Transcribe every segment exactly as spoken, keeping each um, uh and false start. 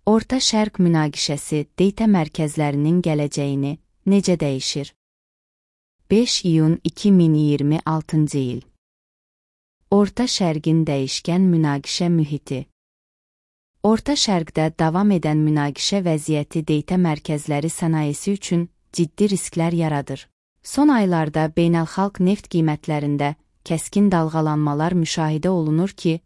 Orta Şərq münaqişəsi data mərkəzlərinin gələcəyini necə dəyişir? beş iyun iki min iyirmi altıncı il. Orta Şərqin dəyişkən münaqişə mühiti. Orta Şərqdə davam edən münaqişə vəziyyəti data mərkəzləri sənayesi üçün ciddi risklər yaradır. Son aylarda beynəlxalq neft qiymətlərində kəskin dalğalanmalar müşahidə olunur ki,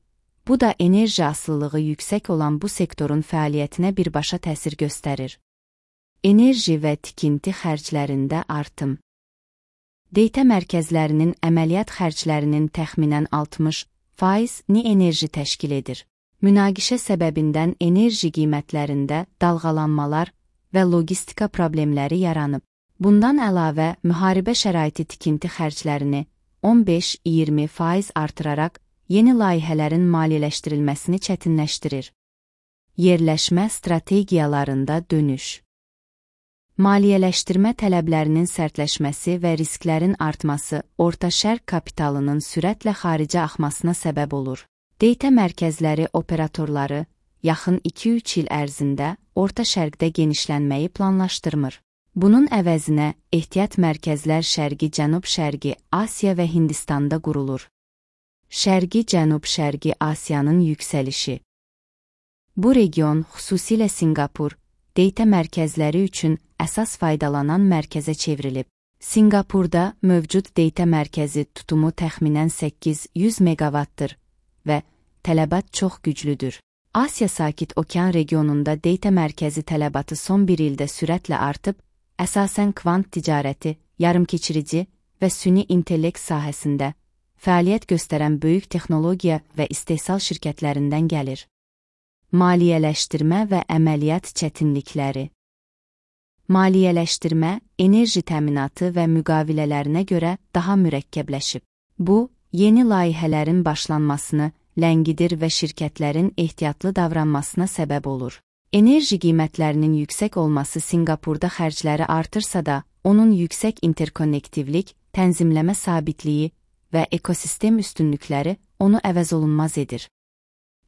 bu da enerji asılılığı yüksək olan bu sektorun fəaliyyətinə birbaşa təsir göstərir. Enerji və tikinti xərclərində artım. Data mərkəzlərinin əməliyyat xərclərinin təxminən altmış faizini enerji təşkil edir. Münaqişə səbəbindən enerji qiymətlərində dalğalanmalar və logistika problemləri yaranıb. Bundan əlavə, müharibə şəraiti tikinti xərclərini on beş iyirmi faiz artıraraq yeni layihələrin maliyyələşdirilməsini çətinləşdirir. Yerləşmə strategiyalarında dönüş. Maliyyələşdirmə tələblərinin sərtləşməsi və risklərin artması Orta Şərq kapitalının sürətlə xaricə axmasına səbəb olur. Data mərkəzləri operatorları yaxın iki üç il ərzində Orta Şərqdə genişlənməyi planlaşdırmır. Bunun əvəzinə ehtiyat mərkəzlər Şərqi-Cənub-Şərqi Asiya və Hindistanda qurulur. Şərqi-Cənub-Şərqi Asiyanın yüksəlişi. Bu region, xüsusilə Sinqapur, data mərkəzləri üçün əsas faydalanan mərkəzə çevrilib. Sinqapurda mövcud data mərkəzi tutumu təxminən səkkiz yüz meqavatdır və tələbat çox güclüdür. Asiya Sakit Okean regionunda data mərkəzi tələbatı son bir ildə sürətlə artıb, əsasən kvant ticarəti, yarımkeçirici və süni intellekt sahəsində fəaliyyət göstərən böyük texnologiya və istehsal şirkətlərindən gəlir. Maliyyələşdirmə və əməliyyat çətinlikləri. Maliyyələşdirmə, enerji təminatı və müqavilələrinə görə daha mürəkkəbləşib. Bu, yeni layihələrin başlanmasını ləngidir və şirkətlərin ehtiyatlı davranmasına səbəb olur. Enerji qiymətlərinin yüksək olması Sinqapurda xərcləri artırsa da, onun yüksək interkonnektivlik, tənzimləmə sabitliyi və ekosistem üstünlükləri onu əvəzolunmaz edir.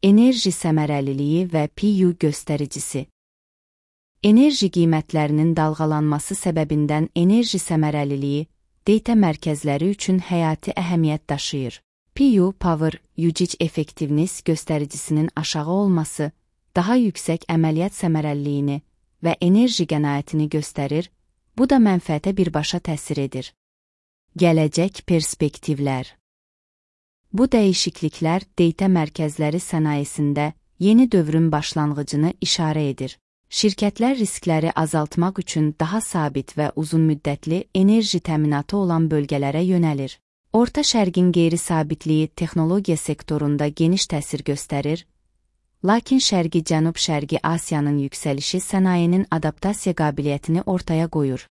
Enerji səmərəliliyi və P U göstəricisi. Enerji qiymətlərinin dalğalanması səbəbindən enerji səmərəliliyi data mərkəzləri üçün həyati əhəmiyyət daşıyır. P U Power Usage Effectiveness göstəricisinin aşağı olması daha yüksək əməliyyat səmərəliliyini və enerji qənaətini göstərir, bu da mənfəətə birbaşa təsir edir. Gələcək perspektivlər. Bu dəyişikliklər data mərkəzləri sənayesində yeni dövrün başlanğıcını işarə edir. Şirkətlər riskləri azaltmaq üçün daha sabit və uzunmüddətli enerji təminatı olan bölgələrə yönəlir. Orta Şərqin qeyri-sabitliyi texnologiya sektorunda geniş təsir göstərir, lakin Şərqi-Cənub-Şərqi Asiyanın yüksəlişi sənayenin adaptasiya qabiliyyətini ortaya qoyur.